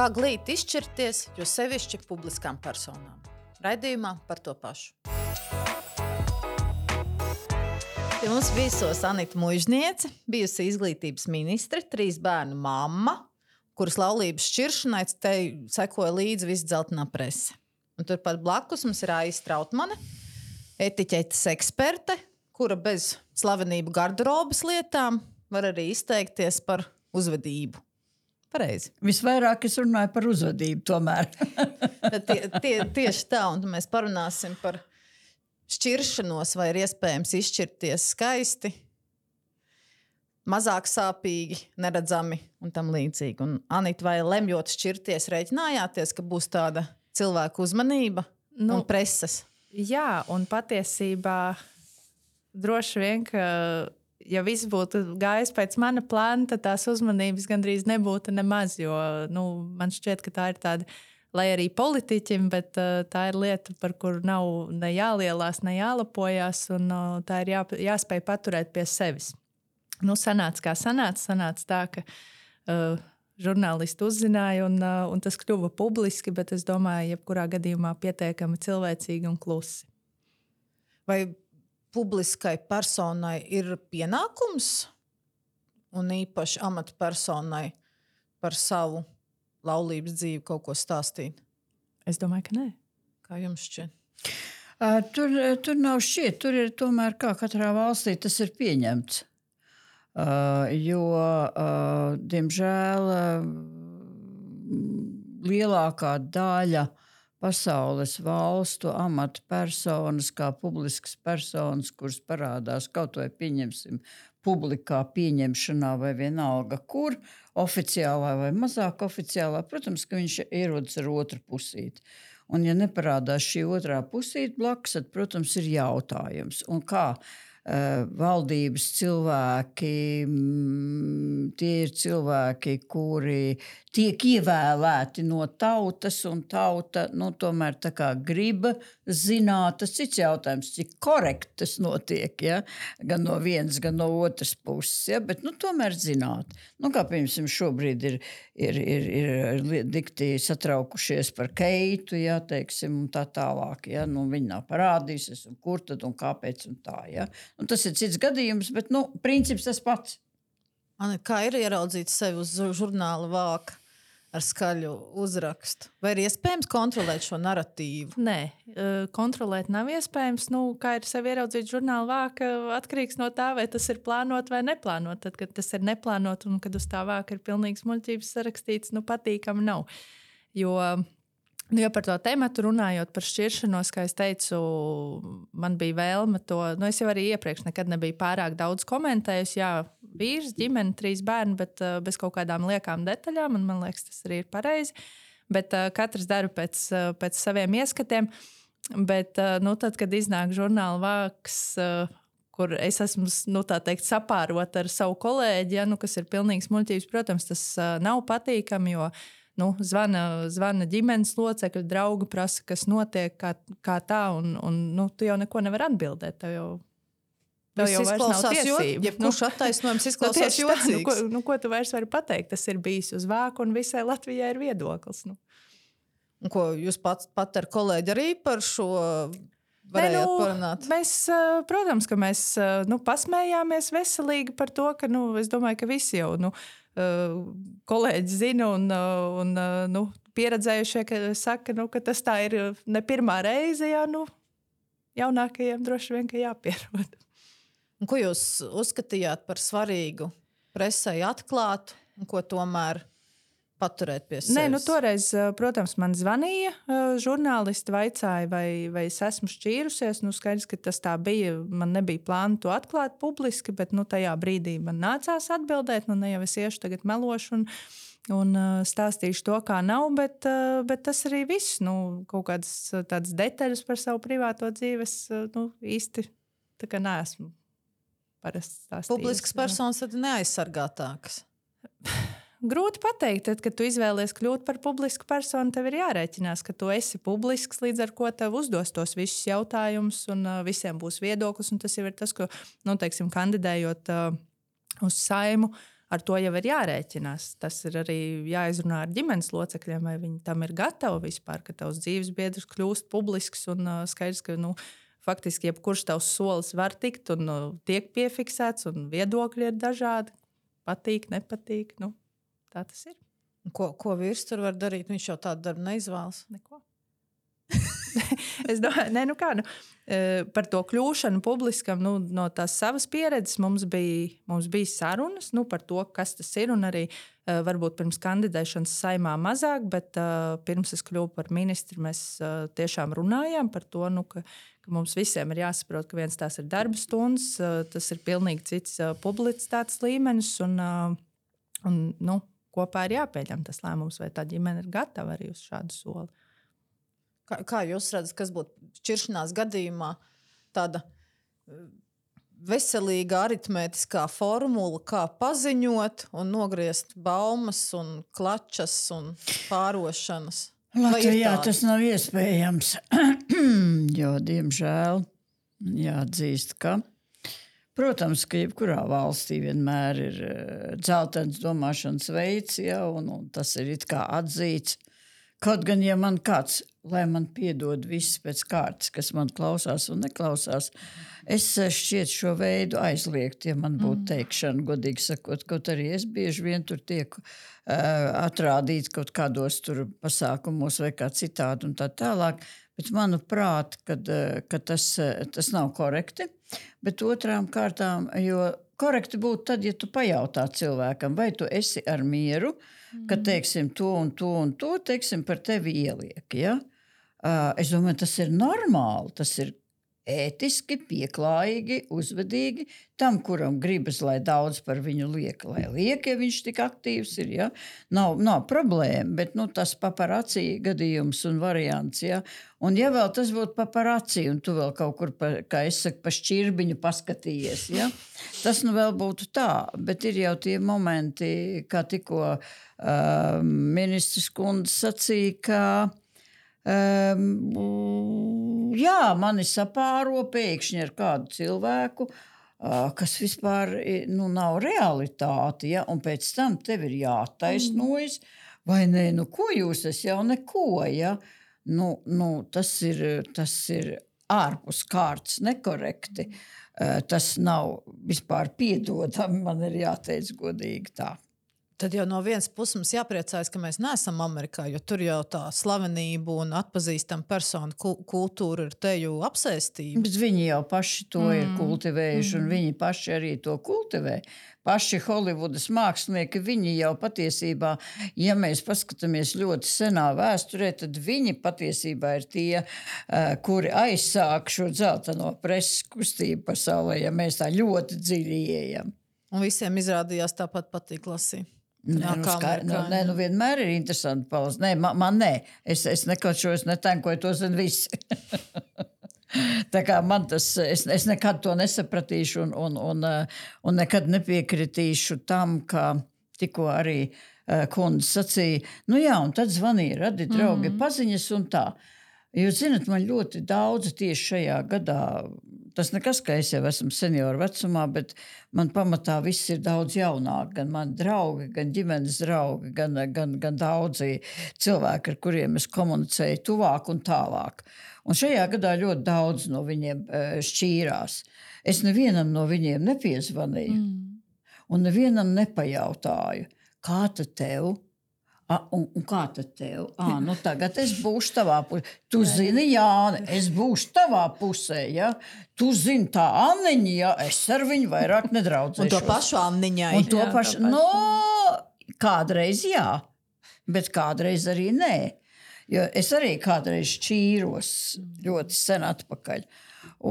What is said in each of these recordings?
Kā glīt izšķirties, jo sevišķi publiskām personām? Raidījumā par to pašu. Pie mums viesos Anita Muižniece, bijusi izglītības ministre, 3 bērnu mamma, kuras laulības šķiršanai te sekoja līdzi visa dzeltenā prese. Un turpat blakus mums ir Aija Strautmane, etiķetes eksperte, kura bez slavenību garderobas lietām var arī izteikties par uzvedību. Pareizi. Visvairāk es runāju par uzvedību tomēr. Tieši tā, un mēs parunāsim par šķiršanos, vai ir iespējams izšķirties skaisti, mazāk sāpīgi, neredzami un tam līdzīgi. Un Anita, vai lemjot šķirties, rēķinājāties, ka būs tāda cilvēku uzmanība un preses? Jā, un patiesībā droši vien, ka ja viss būtu gājis pēc mana plāna, tad tās uzmanības gandrīz nebūtu nemaz, jo man šķiet, ka tā ir tāda, lai arī politiķim, bet tā ir lieta, par kuru nav ne jālielās, ne jālapojās, un tā ir jāspēj paturēt pie sevis. Sanāca kā sanāca tā, ka žurnālisti uzzināja, un tas kļuva publiski, bet es domāju, jebkurā gadījumā pietiekami cilvēcīgi un klusi. Vai publiskai personai ir pienākums un īpaši amatpersonai par savu laulības dzīvi kaut ko stāstīt? Es domāju, ka nē. Kā jums šķiet? Tur nav šķiet, tur ir tomēr kā katrā valstī tas ir pieņemts. Jo, diemžēl, lielākā daļa pasaules valstu amatpersonas, kā publiskas personas, kuras parādās kaut vai pieņemsim publikā pieņemšanā vai vienalga kur, oficiālā vai mazāk oficiālā, protams, ka viņš ierodas ar otru pusīti. Un ja neparādās šī otrā pusīte blakus, tad, protams, ir jautājums. Un kā valdības cilvēki, tie ir cilvēki, kuri tiek ievēlēti no tautas, un tauta tomēr tā kā grib zināt, tas cits jautājums, cik korekti tas notiek, ja? Gan no vienas, gan no otras puses, ja? Bet tomēr zināt. Kā piemēram šobrīd ir dikti satraukušies par Keitu, ja, teiksim, un tā tālāk, ja? Viņi nav parādījusies, un kur tad un kāpēc un tā, ja? Un tas ir cits gadījums, bet, princips tas pats. Kā ir ieraudzīt sevi uz žurnāla vāka ar skaļu uzrakstu? Vai ir iespējams kontrolēt šo naratīvu? Nē, kontrolēt nav iespējams. Kā ir sevi ieraudzīt žurnāla vāka, atkarīgs no tā, vai tas ir plānot vai neplānot. Tad, kad tas ir neplānot un kad uz tā vāka ir pilnīgs muļķības sarakstīts, patīkami nav. Jo par to tematu runājot par šķiršanos, kā es teicu, man bija vēlme to, es jau arī iepriekš nekad nebiju pārāk daudz komentējusi, jā, vīrs, ģimene, 3 bērni, bet bez kaut kādām liekām detaļām, un man liekas, tas arī ir pareizi, bet katrs dara pēc saviem ieskatiem, bet, tad, kad iznāk žurnāla vāks, kur es esmu, tā teikt, sapārot ar savu kolēģi, ja, kas ir pilnīgs muļķības, protams, tas nav patīkami, jo zvana ģimenes locekļi, draugi prasa, kas notiek, kā tā, un tu jau neko nevar atbildēt. Tev jau vairs nav tiesību. Jebkurš attaisnojums izklausās jocīgs. Ko tu vairs vari pateikt? Tas ir bijis uz vāku, un visai Latvijai ir viedoklis. Un ko jūs pat ar kolēģi arī par šo varējāt parunāt? Mēs, protams, ka mēs pasmējāmies veselīgi par to, ka es domāju, ka visi jau kolēģi zina un pieredzējušie, ka saka, ka tas tā ir ne pirmā reize, ja jaunākajiem droši vien, ka jāpierod. Un ko jūs uzskatījāt par svarīgu presei atklāt un ko tomēr paturēt pie sevis? Toreiz, protams, man zvanīja žurnālisti, vaicāja, vai es esmu šķīrusies. Skaidrs, ka tas tā bija. Man nebija plāna to atklāt publiski, bet tajā brīdī man nācās atbildēt. Ne jau es iešu tagad melošu un stāstīšu to, kā nav, bet tas arī viss. Kaut kādas tādas detaļas par savu privāto dzīves īsti tā kā neesmu parasti stāstījusi. Publiskas personas tad neaizsargātākas? Grūti pateikt, tad, kad tu izvēlies kļūt par publisku personu, tev ir jārēķinās, ka tu esi publisks, līdz ar ko tev uzdos tos visus jautājumus un visiem būs viedoklis. Un tas jau ir tas, ko, teiksim, kandidējot uz Saimu, ar to jau ir jārēķinās. Tas ir arī jāizrunā ar ģimenes locekļiem, vai viņi tam ir gatavi vispār, ka tavs dzīves biedrs kļūst publisks un skaidrs, ka faktiski jebkurš tavs solis var tikt un tiek piefiksēts, un viedokļi ir dažādi. Patīk, nepatīk. Tā tas ir. Ko vīrs tur var darīt? Viņš jau tādu darbu neizvēlas. Neko. Es domāju, par to kļūšanu publiskam, no tās savas pieredzes mums bija sarunas par to, kas tas ir. Un arī varbūt pirms kandidēšanas Saeimā mazāk, bet pirms es kļuvu par ministru, mēs tiešām runājām par to, ka mums visiem ir jāsaprot, ka viens tās ir darba stundas, tas ir pilnīgi cits publicitātes līmenis. Un kopā ir jāpieņem tas lēmums, vai tā ģimene ir gatava arī uz šādu soli. Kā jūs redzat, kas būtu šķiršanās gadījumā tāda veselīga aritmētiskā formula, kā paziņot un nogriezt baumas un klačas un pārošanas? Latvijā tas nav iespējams, jo, diemžēl, jāatzīst, ka, protams, ka jebkurā valstī vienmēr ir dzeltens domāšanas veids, ja, un tas ir it kā atzīts. Kaut gan, ja man kāds, lai man piedod viss pēc kārtas, kas man klausās un neklausās, es šķiet šo veidu aizliegt, ja man būtu teikšana, godīgi sakot, kaut arī es bieži vien tur tiek atrādīts kaut kādos tur pasākumos vai kā citādi un tā tālāk, bet manuprāt, ka tas nav korekti, bet otrām kārtām, jo korekti būtu tad, ja tu pajautā cilvēkam, vai tu esi ar mieru, ka, teiksim, to un to, teiksim, par tevi ieliek, ja? Es domāju, tas ir normāli, tas ir ētiski, pieklājīgi, uzvedīgi tam, kuram gribas, lai daudz par viņu liek, lai liek, ja viņš tik aktīvs ir, ja? Nav problēma, bet, tas paparacī gadījums un variants, ja? Un ja vēl tas būtu paparacī, un tu vēl kaut kur, kā es saku, pa šķirbiņu paskatījies, ja? Tas vēl būtu tā, bet ir jau tie momenti, kā tikko ministrs kundze sacīja, ka jā, mani sapāro pēkšņi ar kādu cilvēku, kas vispār nav realitāte, ja? Un pēc tam tev ir jātaisnojas, vai ne, ko jūs, es jau neko, ja? Tas ir ārpus kārtas nekorekti. Tas nav vispār piedodami, man ir jāteic godīgi tā. Tad jau no vienas puses mums jāpriecājas, ka mēs neesam Amerikā, jo tur jau tā slavenība un atpazīstama persona kultūra ir te jau apsēstība. Bet viņi jau paši to ir kultivējuši, un viņi paši arī to kultivē. Paši Holivudas mākslinieki, viņi jau patiesībā, ja mēs paskatāmies ļoti senā vēsturē, tad viņi patiesībā ir tie, kuri aizsāk šo dzelteno preses kustību pasaulē, ja mēs tā ļoti dziļi ieejam. Un visiem izrādījās tāpat patīk lasīt. Vienmēr ir interesanti palasīt. Nē, man nē. Es nekauču, es netankoju, to zinu visi. Tā kā man tas, es nekad to nesapratīšu un nekad nepiekritīšu tam, ka tikko arī kundze sacīja, un tad zvanīja, radi draugi, paziņas un tā. Jūs zinat, man ļoti daudz tieši šajā gadā, tas nekas, ka es jau esmu senioru vecumā, bet man pamatā viss ir daudz jaunāk, gan mani draugi, gan ģimenes draugi, gan daudzi cilvēki, ar kuriem es komunicēju tuvāk un tālāk. Un šajā gadā ļoti daudz no viņiem šķīrās. Es nevienam no viņiem nepiezvanīju un nevienam nepajautāju, kā tad tev? Un kā tad tev? Tagad es būšu tavā pusē. Tu zini, Jāni, es būšu tavā pusē, ja? Tu zini, tā Anniņa, ja? Es ar viņu vairāk nedraudzēšos. Un to pašu Anniņai. Un to pašu, kādreiz jā, bet kādreiz arī nē. Jo es arī kādreiz šķīros ļoti sen atpakaļ.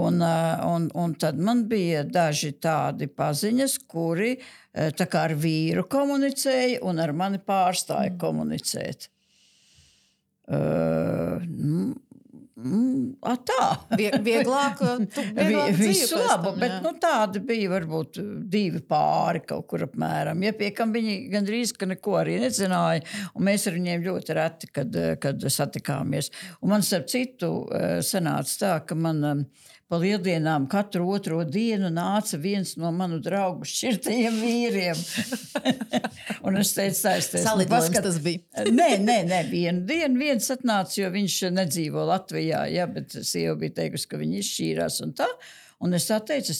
Un tad man bija daži tādi paziņas, kuri tā kā ar vīru komunicēja un ar mani pārstāja komunicēt. Tā. Vieglāk visu labu, bet tādi bija varbūt 2 pāri kaut kur apmēram. Ja pie kam viņi gandrīz, ka neko arī nezināja, un mēs ar viņiem ļoti reti, kad satikāmies. Un man starp citu sanāca tā, ka man pa lieldienām katru otro dienu nāca viens no manu draugu šķirtajiem vīriem. Un es teicu, saisties. Salidojums tas bija. Nē, vienu dienu viens atnāca, jo viņš nedzīvo Latvijā, ja, bet sieva bija teikusi, ka viņi izšķīrās un tā. Un es tā teicu,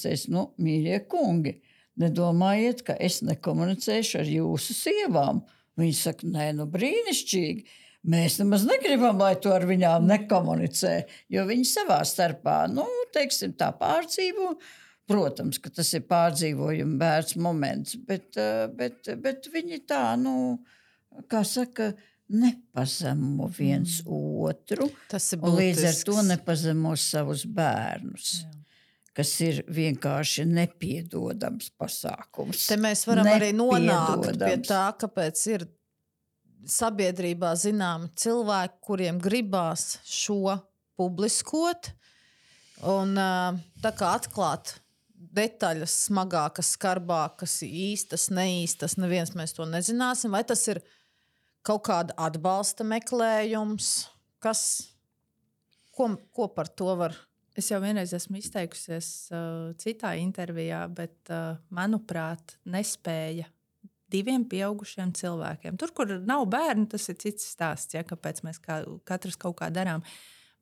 mīļie kungi, nedomājiet, ka es nekomunicēšu ar jūsu sievām. Viņi saka, nē, brīnišķīgi. Mēs nemaz negribam, lai to ar viņām nekomunicē, jo viņi savā starpā, teiksim, tā pārdzīvo. Protams, ka tas ir pārdzīvojuma vērts moments, bet viņi tā, kā saka, nepazemo viens otru. Tas ir būtisks. Un līdz ar to nepazemo savus bērnus. Jā. Kas ir vienkārši nepiedodams pasākums. Te mēs varam arī nonākt pie tā, kāpēc ir sabiedrībā zināmi cilvēki, kuriem gribās šo publiskot un tā kā atklāt detaļas smagākas, skarbākas, īstas, neīstas, neviens mēs to nezināsim. Vai tas ir kaut kāda atbalsta meklējums? Ko par to var? Es jau vienreiz esmu izteikusies citā intervijā, bet, manuprāt, nespēja 2 pieaugušiem cilvēkiem. Tur, kur nav bērni, tas ir cits stāsts, ja, kāpēc mēs katrs kaut kā darām.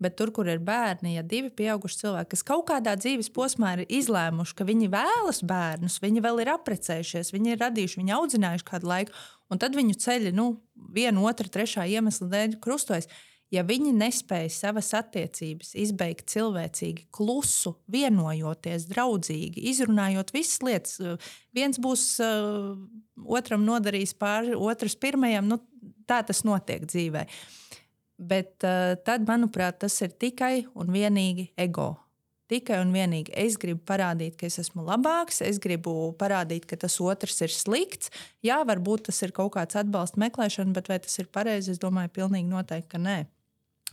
Bet tur, kur ir bērni, ja 2 pieauguši cilvēki, kas kaut kādā dzīves posmā ir izlēmuši, ka viņi vēlas bērnus, viņi vēl ir apprecējušies, viņi ir radījuši, viņi audzinājuši kādu laiku, un tad viņu ceļi, 1, 2, 3 iemesla dēļ krustojas. Ja viņi nespēja savas attiecības izbeigt cilvēcīgi, klusu, vienojoties, draudzīgi, izrunājot visas lietas, viens būs otram nodarījis pāri, otrs pirmajam, tā tas notiek dzīvē. Bet tad, manuprāt, tas ir tikai un vienīgi ego. Tikai un vienīgi es gribu parādīt, ka es esmu labāks, es gribu parādīt, ka tas otrs ir slikts. Jā, varbūt tas ir kaut kāds atbalsta meklēšana, bet vai tas ir pareizi, es domāju, pilnīgi noteikti, ka nē.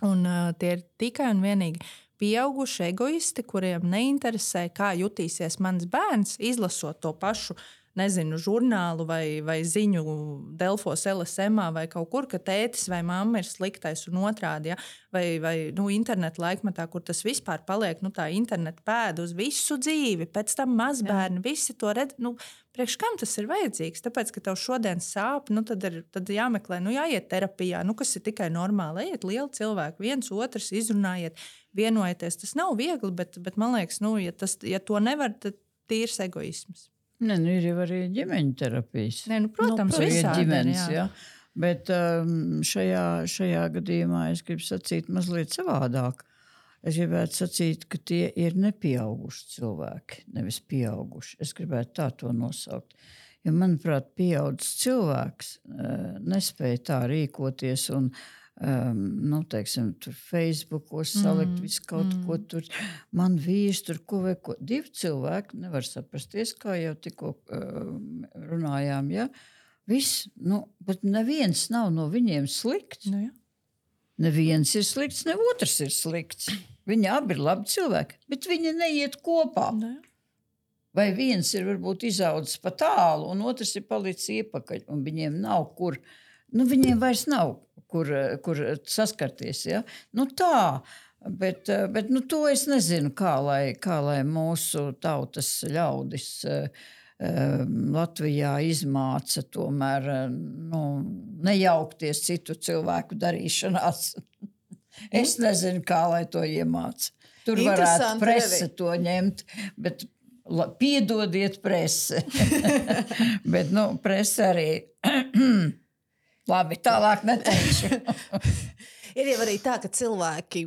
Un tie ir tikai un vienīgi pieauguši egoisti, kuriem neinteresē, kā jutīsies mans bērns, izlasot to pašu, žurnālu vai ziņu Delfos LSM-ā vai kaut kur, ka tētis vai mamma ir sliktais un otrādi, ja? vai internetu laikmetā, kur tas vispār paliek, tā internetu pēda uz visu dzīvi, pēc tam mazbērni, visi to redz, priekš kam tas ir vajadzīgs? Tāpēc, ka tev šodien sāp, tad jāmeklē, jāiet terapijā, kas ir tikai normāli, ejiet lieli cilvēki, viens otrs izrunājiet, vienojieties, tas nav viegli, bet man liekas, ja to nevar, tad tīrs egoisms. Ne, ir jau arī ģimeņu terapijas. Ne, protams, visādi ģimenes, jā. Bet šajā gadījumā es gribu sacīt mazliet savādāk. Es gribētu sacīt, ka tie ir nepieauguši cilvēki, nevis pieauguši. Es gribētu tā to nosaukt. Jo, manuprāt, pieaudzis cilvēks nespēja tā rīkoties un teiksim, tur Facebookos salikt visu kaut ko tur. Man vīrs tur ko vai ko. 2 cilvēki nevar saprasties, kā jau tikko runājām, ja? Viss, bet neviens nav no viņiem slikts. Ja. Neviens ir slikts, ne otrs ir slikts. Viņi abi ir labi cilvēki, bet viņi neiet kopā. Ja. Vai viens ir varbūt izaudzis pa tālu, un otrs ir palicis iepakaļ, un viņiem nav kur, viņiem vairs nav kur saskarties. Ja? Tā, bet to es nezinu, kā lai mūsu tautas ļaudis Latvijā izmāca tomēr nejaukties citu cilvēku darīšanās. Es nezinu, kā lai to iemāca. Tur varētu prese to ņemt, bet piedodiet prese. Bet prese arī... Labi, tālāk neteikšu. Ir jau arī tā, ka cilvēki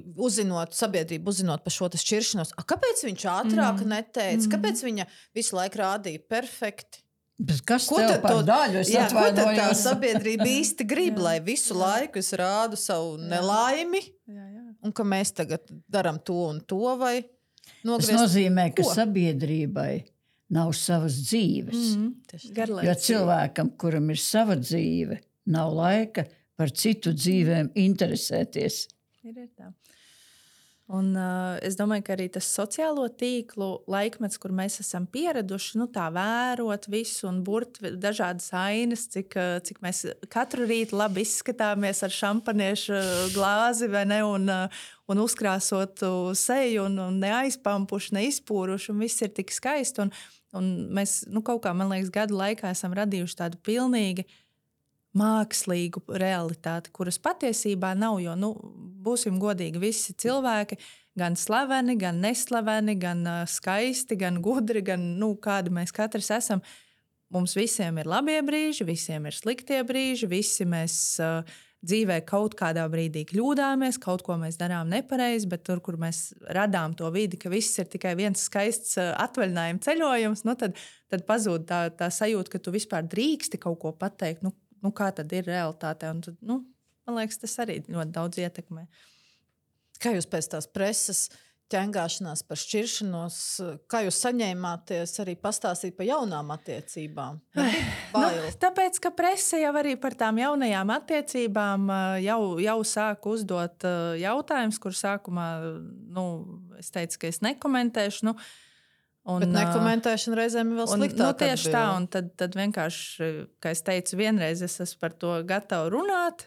sabiedrību uzzinot par šo šķiršanos, kāpēc viņš ātrāk neteica, kāpēc viņa visu laiku rādīja perfekti? Bet kas tev par daļu? Ko tad tā sabiedrība īsti grib, lai visu laiku es rādu savu nelaimi, un ka mēs tagad daram to un to, vai nogriezt? Tas nozīmē, ka sabiedrībai nav savas dzīves. Jo cilvēkam, kuram ir sava dzīve, nav laika par citu dzīvēm interesēties. Ir tā. Un, es domāju, ka arī tas sociālo tīklu laikmets, kur mēs esam pieraduši tā vērot visu un burt dažādas ainas, cik mēs katru rītu labi izskatāmies ar šampaniešu glāzi vai ne, un uzkrāsotu seju un neaizpampuši, neizpūruši, un viss ir tik skaisti. Un mēs kaut kā, man liekas, gadu laikā esam radījuši tādu pilnīgi mākslīgu realitāti, kuras patiesībā nav, jo, būsim godīgi, visi cilvēki, gan slaveni, gan neslaveni, gan skaisti, gan gudri, gan, kādi mēs katrs esam. Mums visiem ir labie brīži, visiem ir sliktie brīži, visi mēs dzīvē kaut kādā brīdī kļūdāmies, kaut ko mēs darām nepareizi, bet tur, kur mēs radām to vidi, ka viss ir tikai viens skaists atvaļinājuma ceļojums, tad pazūd tā sajūta, ka tu vispār drīksti kaut ko pateikt, kā tad ir realitāte. Un tad, man liekas, tas arī ļoti daudz ietekmē. Kā jūs pēc tās preses ķengāšanās par šķiršanos, kā jūs saņēmāties arī pastāstīt par jaunām attiecībām? Tāpēc, ka prese jau arī par tām jaunajām attiecībām jau sāk uzdot jautājumus, kur sākumā, es teicu, ka es nekomentēšu, Bet nekomentēšana reizēm ir vēl sliktāk. Tieši tā, un tad vienkārši, kā es teicu, vienreiz es esmu par to gatava runāt,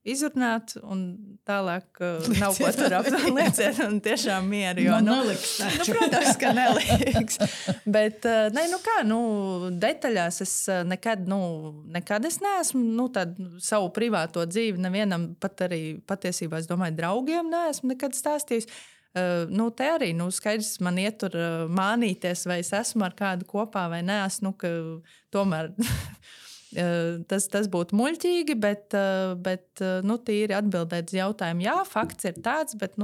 izrunāt, un tālāk nav ko tur aplieciet, un tiešām mieru. Jo, neliks. Protams, ka neliks. Bet, detaļās es nekad es neesmu, savu privāto dzīvi nevienam, pat arī patiesībā, es domāju, draugiem neesmu nekad stāstījis. Te arī skaidrs, man ietur mānīties, vai es esmu ar kādu kopā vai neesmu, ka tomēr tas būtu muļķīgi, bet tīri atbildēt uz jautājumu. Jā, fakts ir tāds, bet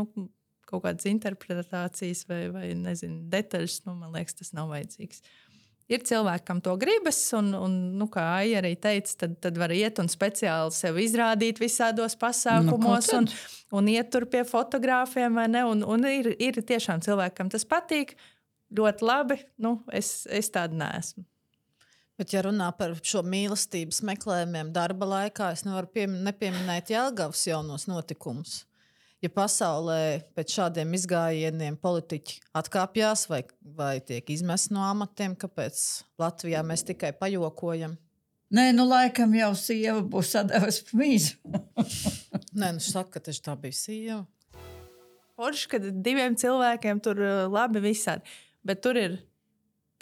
kaut kādas interpretācijas vai nezinu, detaļas, man liekas, tas nav vajadzīgs. Ir cilvēki, kam to gribas, un kā Aija arī teica, tad var iet un speciāli sev izrādīt visādos pasākumos un iet tur pie fotogrāfiem, vai ne? Un ir tiešām cilvēki, kam tas patīk, ļoti labi, es tāda neesmu. Bet, ja runā par šo mīlestības meklējumiem darba laikā, es nevaru nepieminēt Jelgavas jaunos notikumus. Ja pasaulē pēc šādiem izgājieniem politiķi atkāpjās vai tiek izmesti no amatiem, kāpēc Latvijā mēs tikai pajokojam? Nē, laikam jau sieva būs sadevusi mīzu. Nē, saka, ka tā bija sieva. Forši, kad 2 cilvēkiem tur labi visādi. Bet tur ir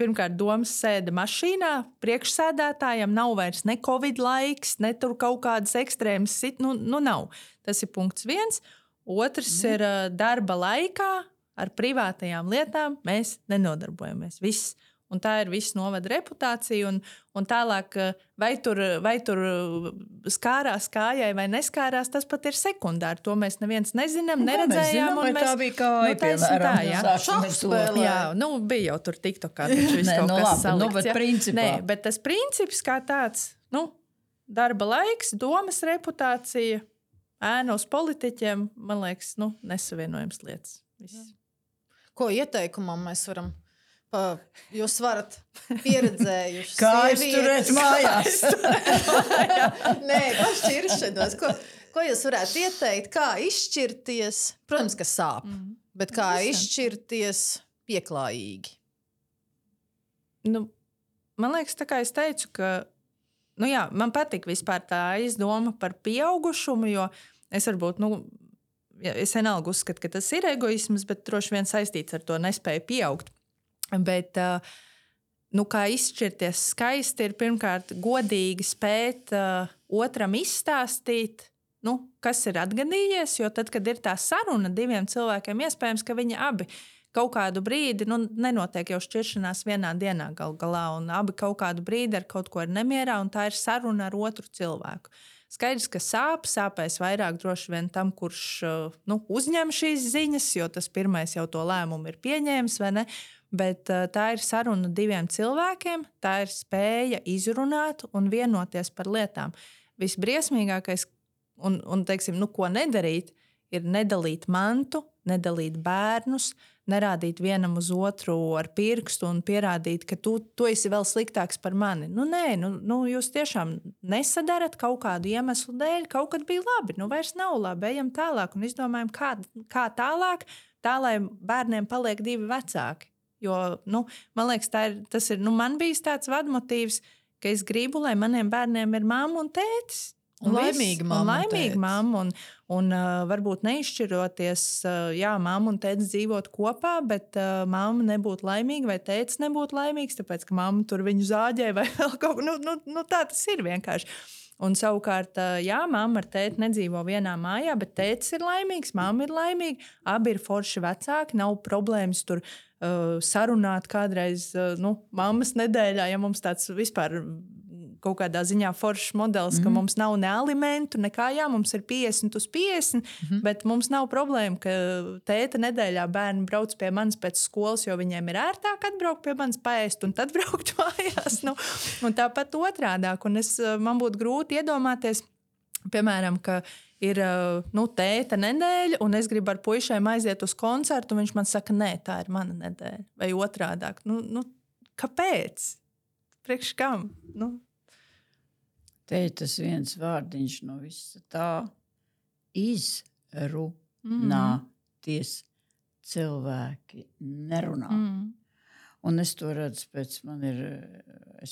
pirmkārt domas sēde mašīnā, priekšsēdētājam nav vairs ne covid laiks, ne tur kaut kādas ekstrēmas nav. Tas ir punkts 1. Otrs ir darba laikā ar privātajām lietām mēs nenodarbojamies. Viss. Un tā ir viss novada reputācija. Un tālāk, vai tur skārās kājai vai neskārās, tas pat ir sekundāri. To mēs neviens nezinām, neredzējām. Tā bija kāja, piemēram. Šahspēlē. Jā, bija jau tur TikTokā, taču viss kaut kas salikts. Bet principā. Bet tas princips kā tāds, darba laiks, domas reputācija, ēna uz politiķiem, man liekas, nesavienojams lietas. Viss. Ko ieteikumam mēs varam? Jūs varat pieredzējuši kā izturēt mājās. Nē, pašķiršanos. Ko jūs varētu ieteikt? Kā izšķirties? Protams, ka sāp, bet kā izšķirties pieklājīgi? Man liekas, tā kā es teicu, ka man patīk vispār tā izdoma par pieaugušumu, jo es varbūt, es vienalga uzskatu, ka tas ir egoisms, bet droši vien saistīts ar to nespēju pieaugt. Bet, kā izšķirties skaisti, ir pirmkārt godīgi spēt otram izstāstīt, kas ir atgadījies, jo tad, kad ir tā saruna 2 cilvēkiem, iespējams, ka viņi abi kaut kādu brīdi, nenotiek jau šķiršanās vienā dienā gal galā, un abi kaut kādu brīdi ar kaut ko ir nemierā, un tā ir saruna ar otru cilvēku. Skaidrs, ka sāpēs vairāk droši vien tam, kurš uzņem šīs ziņas, jo tas pirmais jau to lēmumu ir pieņēmis, vai ne? Bet tā ir saruna 2 cilvēkiem, tā ir spēja izrunāt un vienoties par lietām. Visbriesmīgākais, un teiksim, ko nedarīt, ir nedalīt mantu, nedalīt bērnus, nerādīt vienam uz otru ar pirkstu un pierādīt, ka tu esi vēl sliktāks par mani. Nē, jūs tiešām nesadarat kaut kādu iemeslu dēļ, kaut kad bija labi, vairs nav labi, ejam tālāk un izdomājam, kā tālāk, tā, lai bērniem paliek 2 vecāki. Jo, man liekas, tas ir, man bijis tāds vadmotīvs, ka es gribu, lai maniem bērniem ir mamma un tētis. Un laimīga mamma un varbūt neizšķiroties, mamma un tētis dzīvot kopā, bet mamma nebūtu laimīga vai tētis nebūtu laimīgs, tāpēc, ka mamma tur viņu zāģē vai vēl kaut ko. Tā tas ir vienkārši. Un savukārt, mamma ar tēti nedzīvo vienā mājā, bet tētis ir laimīgs, mamma ir laimīga, abi ir forši vecāki, nav problēmas tur sarunāt kādreiz, mammas nedēļā, ja mums tāds vispār kaut kādā ziņā foršs modelis, ka mums nav ne alimentu, nekā, mums ir 50/50, bet mums nav problēma, ka tēta nedēļā bērni brauc pie manis pēc skolas, jo viņiem ir ērtāk atbraukt pie manis paēst un tad braukt mājās. Un tāpat otrādāk. Un man būtu grūti iedomāties, piemēram, ka ir tēta nedēļa, un es gribu ar puišiem aiziet uz koncertu, un viņš man saka, nē, tā ir mana nedēļa. Vai otrādāk. Kāpēc? Priekš kam? Te ir tas viens vārdiņš no visa tā izrunāties. Cilvēki nerunā. Un es to redzu es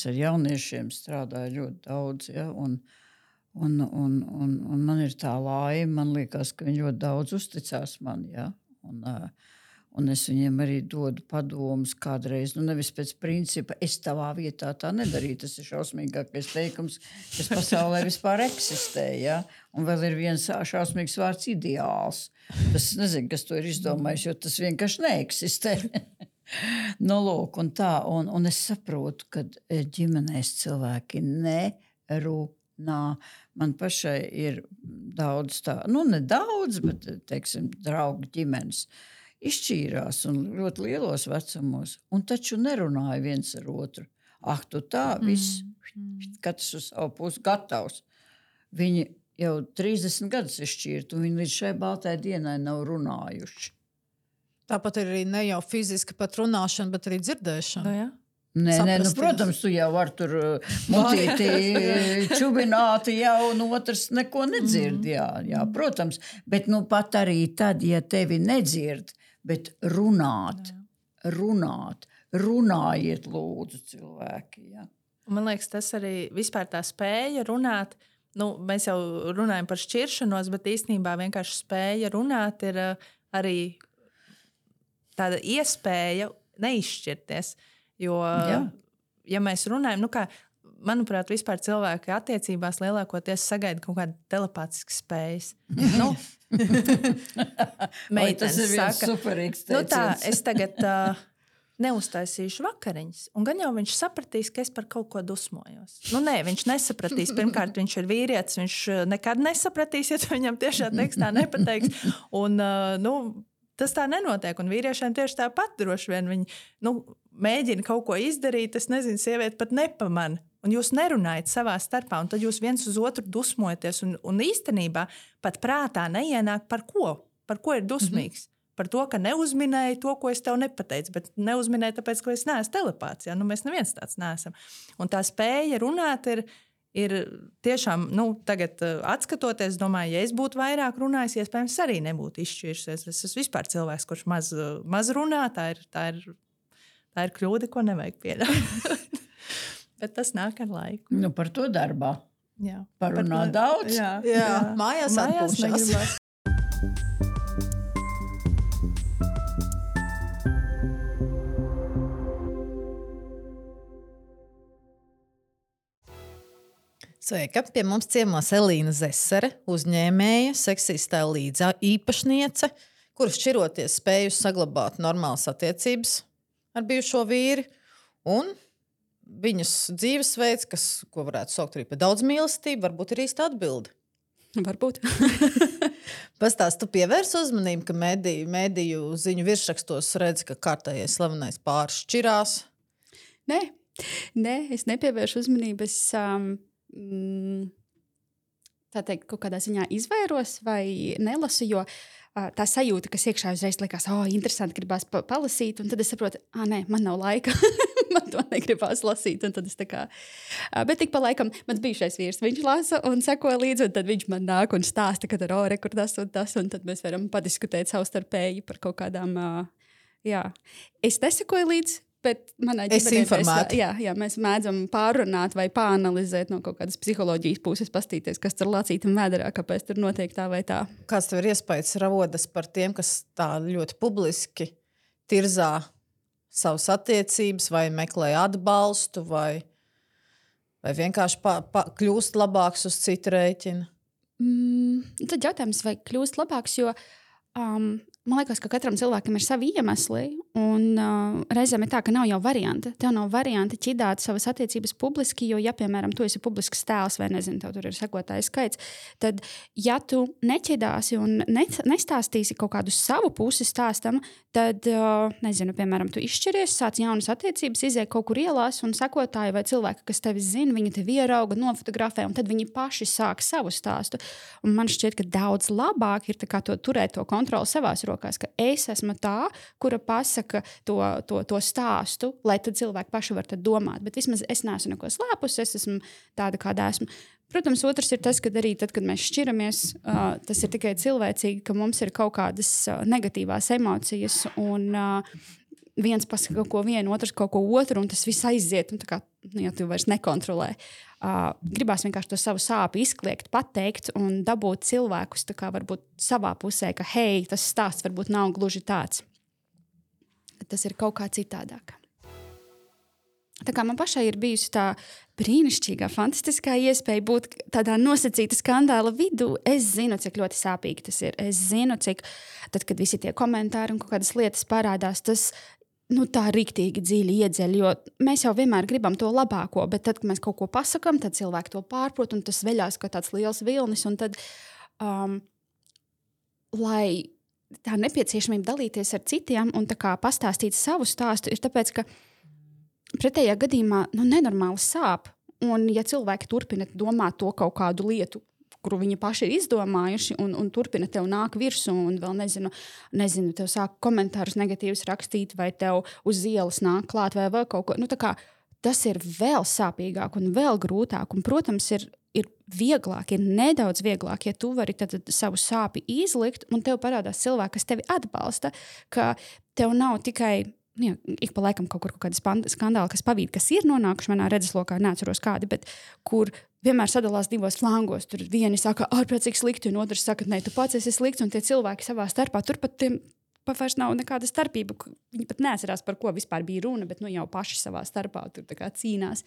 ar jauniešiem strādāju ļoti daudz, un man ir tā laime, man liekas, ka viņi ļoti daudz uzticās man, un es viņiem arī dodu padomus kādreiz, nevis pēc principa, es tavā vietā tā nedarīju, tas ir šausmīgākais teikums, kas pasaulē vispār eksistē, un vēl ir viens šausmīgs vārds ideāls. Tas nezinu, kas to ir izdomājis, jo tas vienkārši neeksistē. Lūk, un tā, un es saprotu, ka ģimenēs cilvēki nerunā. Man pašai ir daudz tā, nedaudz, bet, teiksim, draugu ģimenes izšķīrās un ļoti lielos vecumos, un taču nerunāja viens ar otru. Tu tā, viss, katrs uz savu pusi gatavs. Viņi jau 30 gadus izšķīrt, un viņi līdz šai baltai dienai nav runājuši. Tāpat ir arī ne jau fiziski pat runāšana, bet arī dzirdēšana. Nē, protams, tu jau var tur mutīti čubināti jau, un otrs neko nedzird, jā, protams. Bet pat arī tad, ja tevi nedzird, bet runājiet lūdzu cilvēki, Man liekas, tas arī vispār tā spēja runāt, mēs jau runājam par šķiršanos, bet īstenībā vienkārši spēja runāt ir arī tāda iespēja neizšķirties. Jo, ja mēs runājam, manuprāt, vispār cilvēki attiecībās lielākoties sagaida kaut kāda telepātiska spējas. Tas ir viens superīgs teiciens. Es tagad neuztaisīšu vakariņas, un gan jau viņš sapratīs, ka es par kaut ko dusmojos. Nē, viņš nesapratīs. Pirmkārt, viņš ir vīrietis, viņš nekad nesapratīs, ja tu viņam tiešā tekstā nepateiks. Un, tas tā nenotiek, un vīriešiem tieši tāpat droši vien viņi mēģina kaut ko izdarīt, es nezinu, sieviete pat nepamana, un jūs nerunājat savā starpā, un tad jūs viens uz otru dusmojaties, un īstenībā pat prātā neienāk par ko ir dusmīgs. Par to, ka neuzminēju to, ko es tev nepateicu, bet neuzminēju tāpēc, ka es neesmu telepāts, mēs neviens tāds neesam. Un tā spēja runāt ir tiešām, tagad atskatoties, domāju, ja es būtu vairāk runājis, iespējams arī nebūtu izšķirsies. Es esmu vispār cilvēks, kurš maz runā, tā ir kļūda, ko nevajag pieļaut. Bet tas nāk ar laiku. Par to darbā. Jā. Parunā daudz. Jā. Mājās atpūšās. Sveika! Pie mums ciemos Elīna Zesere, uzņēmēja, seksistā līdz īpašniece, kuras šķiroties spējusi saglabāt normālas attiecības ar bijušo vīri, un viņas dzīvesveids, ko varētu saukt arī par daudz mīlestību, varbūt ir īsta atbilde. Varbūt. Pastāst, tu pievērs uzmanību, ka mediju ziņu virsrakstos redz, ka kārtējais slavenais pāris šķirās? Nē, es nepievēršu uzmanību. Es tā teikt, kaut kādā ziņā izvairos vai nelasu, jo tā sajūta, kas iekšā uzreiz likās, interesanti, gribās palasīt, un tad es saprotu, nē, man nav laika. man to negribās lasīt. Un tad es tā kā, bet tik pa laikam mans bijušais vīrs, viņš lasa un seko līdzi, un tad viņš man nāk un stāsta, ka tur kur tas un tas, un tad mēs varam padiskutēt savstarpēji par kaut kādām, jā. Es nesekoju līdzi, bet manā ģimenē mēs mēdzam pārrunāt vai pāanalizēt no kaut kādas psiholoģijas puses, pastīties, kas tur lacītam vēderā, kāpēc tur notiek tā vai tā. Kāds tev ir iespējas rodas par tiem, kas tā ļoti publiski tirzā savas attiecības vai meklē atbalstu vai vienkārši kļūst labāks uz citu rēķina? Tad jautājums, vai kļūst labāks, jo man liekas, ka katram cilvēkam ir savi iemesli, un reizēm ir tā, ka nav jau varianta. Tev nav varianta ķidāt savas attiecības publiski, jo, ja, piemēram, tu esi publisks tēls vai, nezinu, tev tur ir sekotājs skaits, tad, ja tu neķidāsi un nestāstīsi kaut kādu savu pusi stāstam, tad, nezinu, piemēram, tu izšķiries, sāc jaunas attiecības, izēj kaut kur ielās, un sekotāji vai cilvēki, kas tevi zina, viņi tevi ierauga, nofotografē, un tad viņi paši sāk savu stāstu. Un man šķiet, ka daudz labāk ir tā kā turēt to kontroli savās rokās, ka es esmu tā, kura pasaka to stāstu, lai tad cilvēki paši var tad domāt. Bet vismaz es neesmu neko slēpus, es esmu tāda, kāda esmu. Protams, otrs ir tas, ka arī tad, kad mēs šķiramies, tas ir tikai cilvēcīgi, ka mums ir kaut kādas negatīvās emocijas, un viens pasaka kaut ko vienu, otrs kaut ko otru, un tas viss aiziet, un tā kā, ja tu vairs nekontrolē. Gribās vienkārši to savu sāpi izkliegt, pateikt un dabūt cilvēkus tā kā varbūt savā pusē, ka hei, tas stāsts varbūt nav gluži tāds. Tas ir kaut kā citādāk. Tā kā man pašai ir bijusi tā brīnišķīgā, fantastiskā iespēja būt tādā nosacīta skandāla vidū, es zinu, cik ļoti sāpīgi tas ir. Es zinu, cik tad, kad visi tie komentāri un kaut kādas lietas parādās, tas tā riktīgi dziļi iedzeļ, jo mēs jau vienmēr gribam to labāko, bet tad, kad mēs kaut ko pasakam, tad cilvēki to pārprot, un tas veļās kā tāds liels vilnis, un tad, lai tā nepieciešamība dalīties ar citiem un tā kā pastāstīt savu stāstu, ir tāpēc, ka pretējā gadījumā nenormāli sāp, un ja cilvēki turpina domāt to kaut kādu lietu, kuru viņi paši ir izdomājuši, un turpina tev nāk virsū, un vēl nezinu, tev sāk komentārus negatīvus rakstīt, vai tev uz ielas nāk klāt, vai vēl kaut ko. Tā kā tas ir vēl sāpīgāk un vēl grūtāk, un, protams, ir vieglāk, ir nedaudz vieglāk, ja tu vari tad savu sāpi izlikt, un tev parādās cilvēki, kas tevi atbalsta, ka tev nav tikai ik pa laikam kaut kādi skandāli, kas pavīd, kas ir nonākuši manā redzeslokā, neatceros kādi, bet kur vienmēr sadalās divos flangos. Tur vieni saka, ārprātīgi slikti, un otrs saka, nē, tu pats esi slikts, un tie cilvēki savā starpā, tur pat tiem vairs nav nekāda starpība. Viņi pat neatcerās, par ko vispār bija runa, bet jau paši savā starpā tur tā kā cīnās.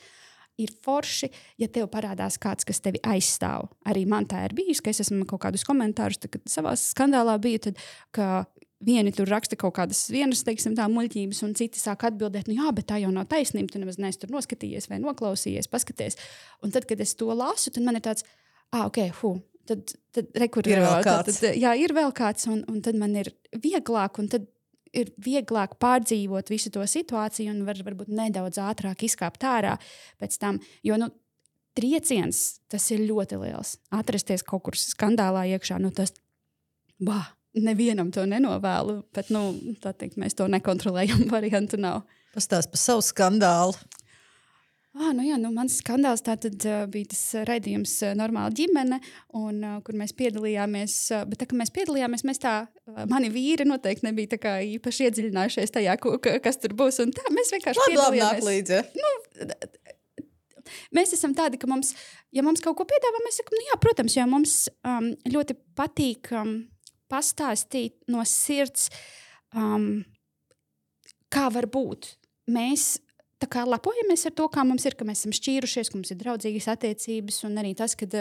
Ir forši, ja tev parādās kāds, kas tevi aizstāv. Arī man tā ir bijis, ka es esmu kaut kādus komentārus, kad savā skandālā biju, tad, ka vieni tur raksta kaut kādas vienas, teiksim, tā muļķības, un citi sāk atbildēt, jā, bet tā jau nav taisnība, tu nemaz neesi tur noskatījies vai noklausījies, paskaties. Un tad, kad es to lasu, tad man ir tāds, tad rekur, ir vēl kāds. Ir vēl kāds, un tad man ir vieglāk, un tad ir vieglāk pārdzīvot visu to situāciju un varbūt nedaudz ātrāk izkāpt ārā pēc tam, jo, trieciens, tas ir ļoti liels. Atrasties kaut kur skandālā iekšā, tas, nevienam to nenovēlu, bet, tā teikt, mēs to nekontrolējam, variantu nav. Pastāst par savu skandālu. Mans skandāls tātad bija tas raidījums Normāla ģimene, un kur mēs piedalījāmies, bet tā, ka mēs piedalījāmies, mani vīri noteikti nebija tā kā īpaši iedziļinājušies tajā, kas tur būs, un tā, mēs vienkārši piedalījāmies. Nāk līdzi. Mēs esam tādi, ka ja mums kaut ko piedāvā, mēs sakam, protams, jo mums ļoti patīk pastāstīt no sirds, kā var būt. Mēs tā kā lepojamies ar to, kā mums ir, ka mēs esam šķīrušies, ka mums ir draudzīgas attiecības, un arī tas, kad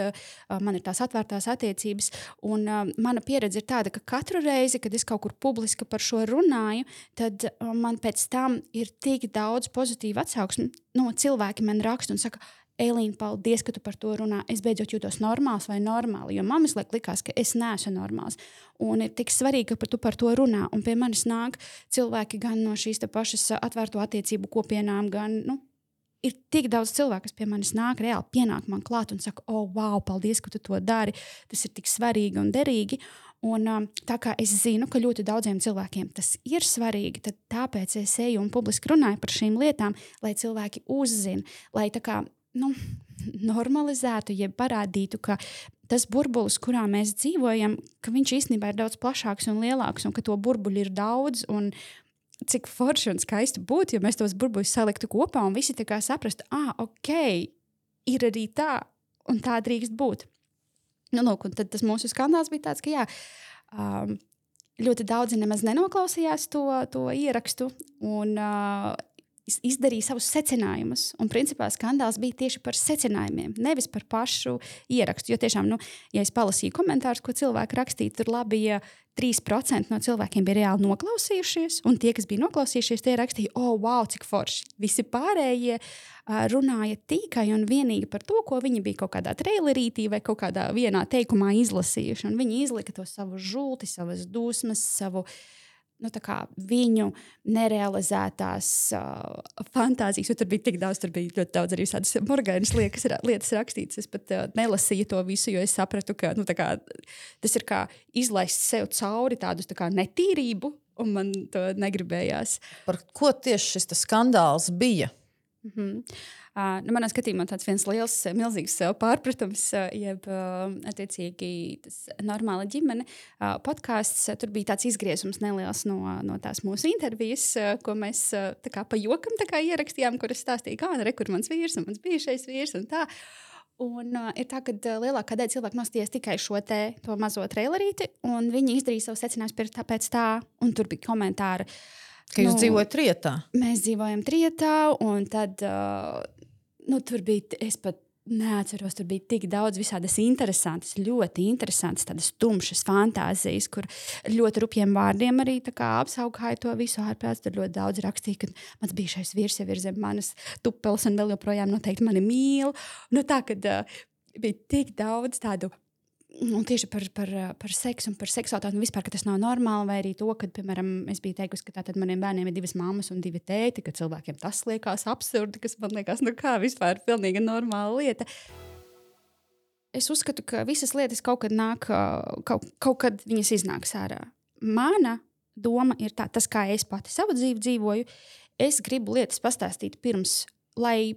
man ir tās atvērtās attiecības. Un mana pieredze ir tāda, ka katru reizi, kad es kaut kur publiski par šo runāju, tad man pēc tam ir tik daudz pozitīvu atsauksmi. Cilvēki man raksta un saka, Eilīna, paldies, ka tu par to runā. Es beidzot jūtos normāls vai normāli, jo man likās, ka es neesmu normāls. Un ir tik svarīgi, ka tu par to runā. Un pie manis nāk cilvēki gan no šīs pašas atvērto attiecību kopienām, gan, ir tik daudz cilvēku, kas pie manis nāk, reāli pienāk man klāt un saka, wow, paldies, ka tu to dari. Tas ir tik svarīgi un derīgi. Un, tā kā es zinu, ka ļoti daudziem cilvēkiem tas ir svarīgi, tad tāpēc es eju un publiski runāju par šīm lietām, lai cilvēki uzzina, lai tā kā normalizētu, jeb parādītu, ka tas burbulis, kurā mēs dzīvojam, ka viņš īstenībā ir daudz plašāks un lielāks, un ka to burbuļu ir daudz, un cik forši un skaisti būtu, ja mēs tos burbuļus saliktu kopā un visi tā kā saprastu, ok, ir arī tā, un tā drīkst būt. Nu, lūk, un tad tas mūsu skandāls bija tāds, ka ļoti daudzi nemaz nenoklausījās to ierakstu un izdarīja savus secinājumus. Un principā skandāls bija tieši par secinājumiem, nevis par pašu ierakstu. Jo tiešām, ja es palasīju komentārus, ko cilvēki rakstīja, tur labi, ja 3% no cilvēkiem bija reāli noklausījušies, un tie, kas bija noklausījušies, tie rakstīja, wow, cik forši. Visi pārējie runāja tikai un vienīgi par to, ko viņi bija kaut kādā trailerītī vai kaut kādā vienā teikumā izlasījuši. Un viņi izlika to savu žulti, savas dusmas, savu viņu nerealizētās fantāzijas, jo tur bija tik daudz, tur bija ļoti daudz arī tādas morgainas lietas rakstītas. Es pat nelasīju to visu, jo es sapratu, ka tas ir kā izlaist sev cauri tādus netīrību, un man to negribējās. Par ko tieši šis skandāls bija? Manā skatījumā tāds viens liels, milzīgs pārpratums, jeb attiecīgi tas normāla ģimene podcasts. Tur bija tāds izgriezums neliels no tās mūsu intervijas, ko mēs tā kā pa jokam tā kā ierakstījām, kur es stāstīju, kur mans vīrs un mans bijušais vīrs un tā. Un ir tā, ka lielākā daļa cilvēku nostājās tikai to mazo trailerīti, un viņi izdarīja savu secinājumu pēc tā, un tur bija komentāri. Ka jūs dzīvojat Trietā? Mēs dzīvojam Trietā, un tad tur bija, es pat neatceros, tur bija tik daudz visādas interesantas, ļoti interesantas, tādas tumšas fantāzijas, kur ļoti rupjiem vārdiem arī tā kā apsaukāja to visu ārprāts. Tur ļoti daudz rakstīja, ka mans bijušais vīrs jau ir zem manas tupeles un vēl joprojām noteikti mani mīl. Tā, kad bija tik daudz tādu, un tieši par seksu un par seksualitāti, un vispār, ka tas nav normāli, vai arī to, ka, piemēram, es biju teikusi, ka tātad maniem bērniem ir 2 mammas un 2 tēti, ka cilvēkiem tas liekas absurdi, kas man liekas, kā vispār pilnīgi normāla lieta. Es uzskatu, ka visas lietas kaut kad nāk, kaut kad viņas iznāks ārā. Mana doma ir tā, tas, kā es pati savu dzīvi dzīvoju, es gribu lietas pastāstīt pirms, lai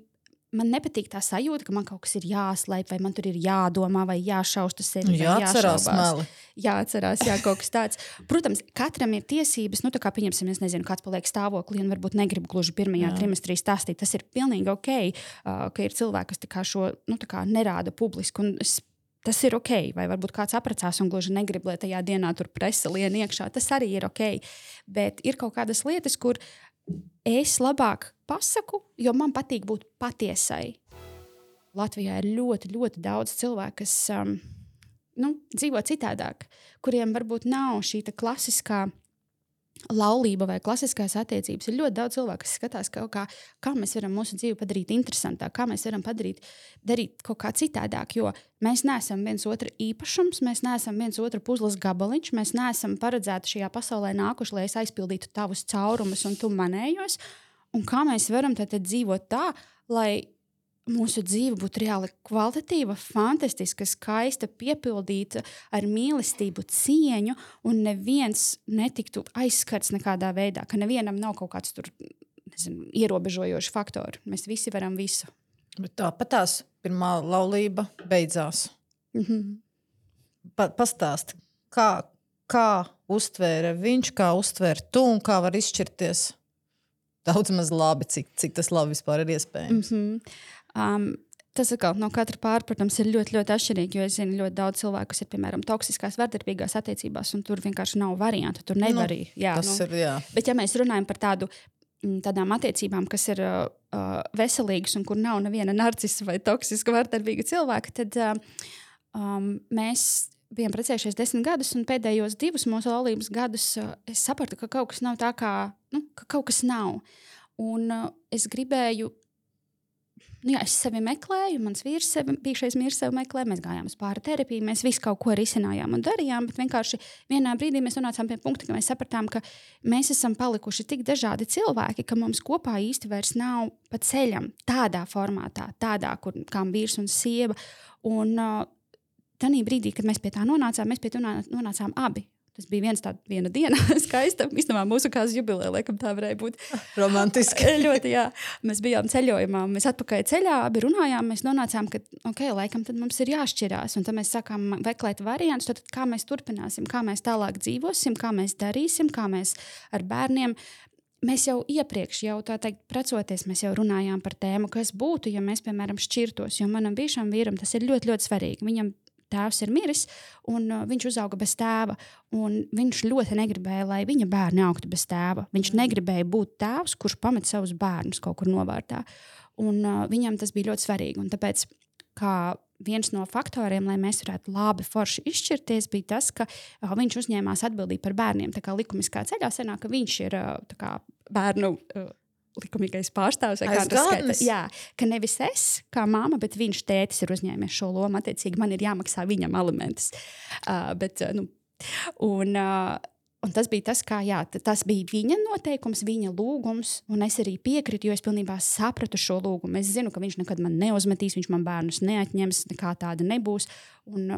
man nepatīk tā sajūta, ka man kaut kas ir jāslēp, vai man tur ir jādomā, vai jāšausta sevi, vai jāšaubās. Jāatcerās, kaut kas tāds. Protams, katram ir tiesības, kā pieņemsim, es nezinu, kāds paliek stāvoklī un varbūt negrib gluži pirmajā trimestrī stāstīt. Tas ir pilnīgi ok, ka ir cilvēki, kas tā kā šo nerāda publiski, un tas ir ok, vai varbūt kāds apracās un gluži negrib, lai tajā dienā tur presa lien iekšā. Tas arī ir ok, bet ir kaut kādas lietas, kur es labāk pasaku, jo man patīk būt patiesai. Latvijā ir ļoti, ļoti daudz cilvēku, kas dzīvo citādāk, kuriem varbūt nav šī klasiskā laulība vai klasiskās attiecības. Ir ļoti daudz cilvēku, kas skatās, kā mēs varam mūsu dzīvi padarīt interesantāk, kā mēs varam darīt kaut kā citādāk, jo mēs neesam viens otra īpašums, mēs neesam viens otra puzles gabaliņš, mēs neesam paredzēti šajā pasaulē nākuši, lai es aizpildītu tavus caurumus un tu manējos. Un kā mēs varam tad dzīvot tā, lai mūsu dzīve būtu reāli kvalitatīva, fantastiska, skaista, piepildīta ar mīlestību, cieņu, un neviens netiktu aizskarts nekādā veidā, ka nevienam nav kaut kāds tur, ierobežojoši faktori. Mēs visi varam visu. Bet tāpat tās pirmā laulība beidzās. Pastāsti, kā uztvēra viņš, kā uztvēra tu un kā var izšķirties daudz maz labi, cik tas labi vispār ir iespējams. Tas atkal no katra pārpratums ir ļoti, ļoti atšķirīgi, jo es zinu ļoti daudz cilvēku, kas ir, piemēram, toksiskās, vardarbīgās attiecībās, un tur vienkārši nav variantu, tur nevar arī. Bet ja mēs runājam par tādām attiecībām, kas ir veselīgas un kur nav neviena narcisa vai toksiska vardarbīga cilvēka, tad mēs bijām precējušies 10 gadus, un pēdējos 2 mūsu laulības gadus es sapratu, ka kaut kas nav tā kā, ka kaut kas nav. Un es gribēju, es sevi meklēju, mans vīrs bijušais vīrs sevi meklē, mēs gājām uz pāri terapiju, mēs visu kaut ko risinājām un darījām, bet vienkārši vienā brīdī mēs nonācām pie punkta, ka mēs sapratām, ka mēs esam palikuši tik dažādi cilvēki, ka mums kopā īsti vairs nav pa ceļam tādā formātā, tādā, kā vīrs un sieva. Un tajā brīdī, kad mēs pie tā nonācām, mēs pie tā nonācām abi. Tas bija viena diena, skaista. Īstenībā mūsu kāzas jubileja, laikam tā varēja būt. Romantiski. Ļoti, jā. Mēs bijām ceļojumā, mēs atpakaļ ceļā, abi runājām, mēs nonācām, ka, laikam tad mums ir jāšķirās. Un tad mēs sākām meklēt variantus, tad kā mēs turpināsim, kā mēs tālāk dzīvosim, kā mēs darīsim, kā mēs ar bērniem. Mēs jau iepriekš, tā teikt, precoties, mēs jau runājām par tēmu, kas būtu, ja mēs, piemēram, šķirtos. Jo manam bijušam vīram tas ir ļoti, ļoti svarīgi. Viņam tēvs ir miris, un viņš uzauga bez tēva. Un viņš ļoti negribēja, lai viņa bērni augtu bez tēva. Viņš negribēja būt tēvs, kurš pamet savus bērnus kaut kur novārtā. Un viņam tas bija ļoti svarīgi. Un tāpēc, kā viens no faktoriem, lai mēs varētu labi forši izšķirties, bija tas, ka viņš uzņēmās atbildību par bērniem. Tā kā likumiskā ceļā senāk, ka viņš ir bērnu likumīgais pārstāvs. Jā, ka nevis es, kā māma, bet viņš tētis ir uzņēmies šo lomu. Attiecīgi, man ir jāmaksā viņam alimentus. Un tas bija tas, tas bija viņa noteikums, viņa lūgums, un es arī piekritu, jo es pilnībā sapratu šo lūgumu. Es zinu, ka viņš nekad man neuzmetīs, viņš man bērnus neatņems, nekā tāda nebūs. Un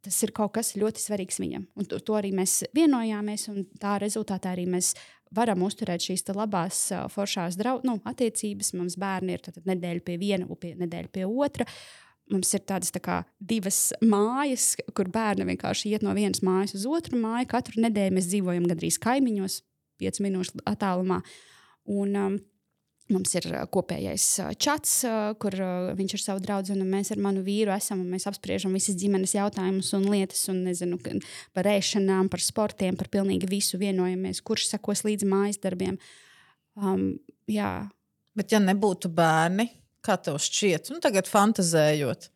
tas ir kaut kas ļoti svarīgs viņam. Un to arī mēs vienojāmies, un tā rezultātā arī mēs varam uzturēt šīs labās, foršās attiecības. Mums bērni ir nedēļa pie viena, nedēļa pie otra. Mums ir tādas divas mājas, kur bērni vienkārši iet no vienas mājas uz otru māju. Katru nedēļu mēs dzīvojam gandrīz kaimiņos, 5 minūšu attālumā. Un mums ir kopējais čats, kur viņš ir savu draudzeni, un mēs ar manu vīru esam, un mēs apspriežam visas ģimenes jautājumus un lietas, un nezinu, par ēšanām, par sportiem, par pilnīgi visu vienojamies, kurš sekos līdz mājas darbiem. Jā. Bet ja nebūtu bērni, kā tev šķiet, tagad fantazējot,